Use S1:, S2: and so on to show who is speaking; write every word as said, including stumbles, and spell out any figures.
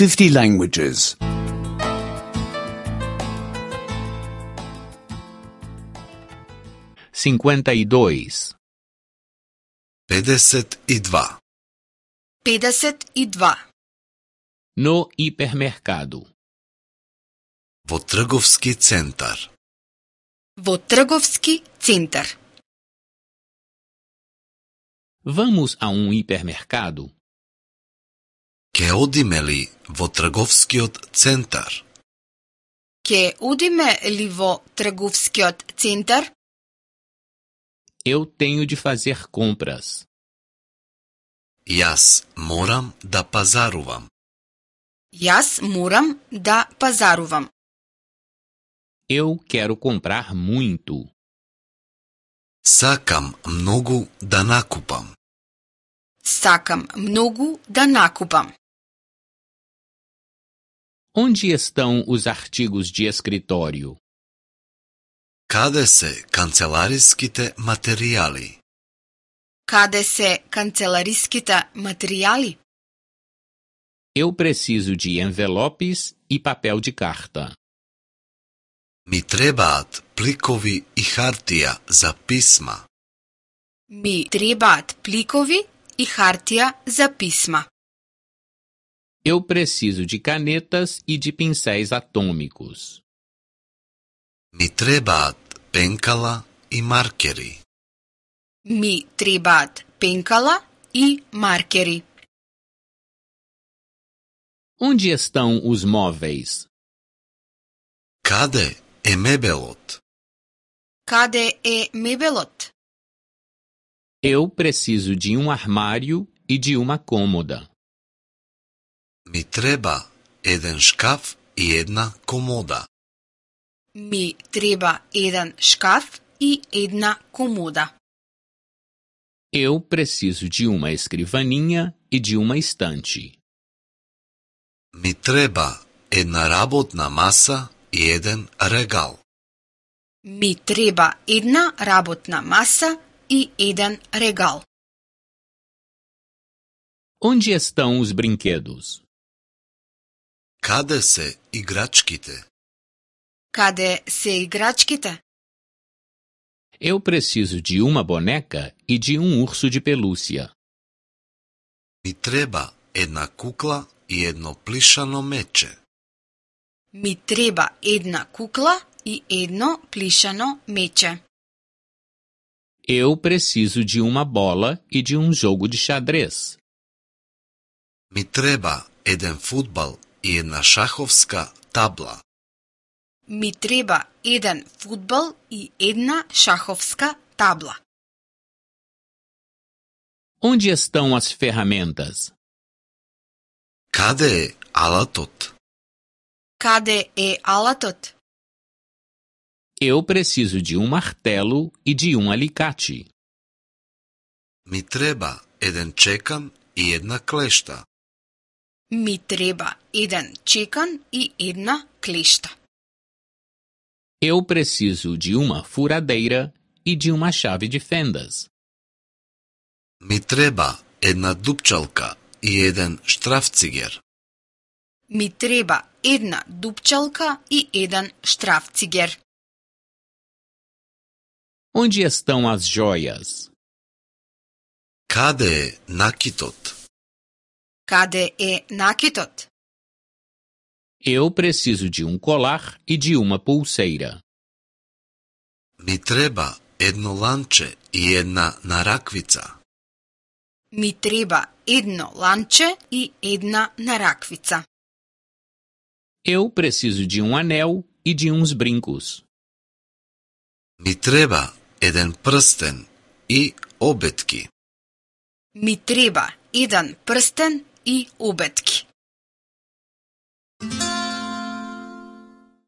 S1: fifty languages.
S2: cinquenta e dois.
S3: pedeset и два.
S4: pedeset e dva.
S2: No hipermercado.
S3: Во трговски центар.
S4: Во трговски центар.
S2: Vamos a um hipermercado?
S3: Ке одиме ли во трговскиот центар?
S4: Ке одиме ли во трговскиот центар?
S2: Eu tenho de fazer compras.
S3: Јас морам да пазарувам.
S4: Јас морам да пазарувам.
S2: Eu quero comprar muito.
S3: Сакам многу да накупам.
S4: Сакам многу да накупам.
S2: Onde estão os artigos de escritório?
S3: Каде се канцелариските материјали?
S4: Каде се канцелариските материјали?
S2: Eu preciso de envelopes e papel de carta.
S3: Ми требаат пликови и хартија за писма.
S4: Ми требаат пликови и хартија за писма.
S2: Eu preciso de canetas e de pincéis atômicos.
S3: Ми требаат пенкала и маркери.
S4: Ми требаат пенкала и маркери.
S2: Onde estão os móveis?
S3: Каде е мебелот?
S4: Каде е мебелот?
S2: Eu preciso de um armário e de uma cômoda.
S3: Ми треба еден шкаф и една комода.
S4: Ми треба еден шкаф и една комода.
S2: Eu preciso de uma escrivaninha e de uma estante.
S3: Ми треба една работна маса и еден регал.
S4: Ми треба една работна маса и еден регал.
S2: Onde estão os brinquedos?
S3: Каде се играчките?
S4: Каде се играчките?
S2: Eu preciso de uma boneca e de um urso de pelúcia.
S3: Ми треба една кукла и едно плишано мече.
S4: Ми треба една кукла и едно плишано мече.
S2: Eu preciso de uma bola e de um jogo de xadrez.
S3: Ми треба еден фудбал и една шаховска табла.
S4: Ми треба еден фудбал и една шаховска табла.
S2: Onde estão as ferramentas?
S3: Каде е алатот?
S4: Каде е алатот?
S2: Eu preciso de um martelo e de um alicate.
S3: Ми треба еден чекан и една клешта.
S4: Ми треба еден чекан и една клешта.
S2: Eu preciso de uma furadeira e de uma chave de fendas.
S3: Ми треба една дупчалка и еден штрафцигер.
S4: Ми треба една дупчалка и еден штрафцигер.
S2: Onde estão as joias?
S3: Каде е накитот?
S4: Каде е накитот?
S2: Eu preciso de um colar e de uma pulseira.
S3: Ми треба едно ланче и една нараквица.
S4: Ми треба едно ланче и една нараквица.
S2: Eu preciso de um anel e de uns brincos.
S3: Ми треба еден прстен и обетки.
S4: Ми треба еден прстен и обетки.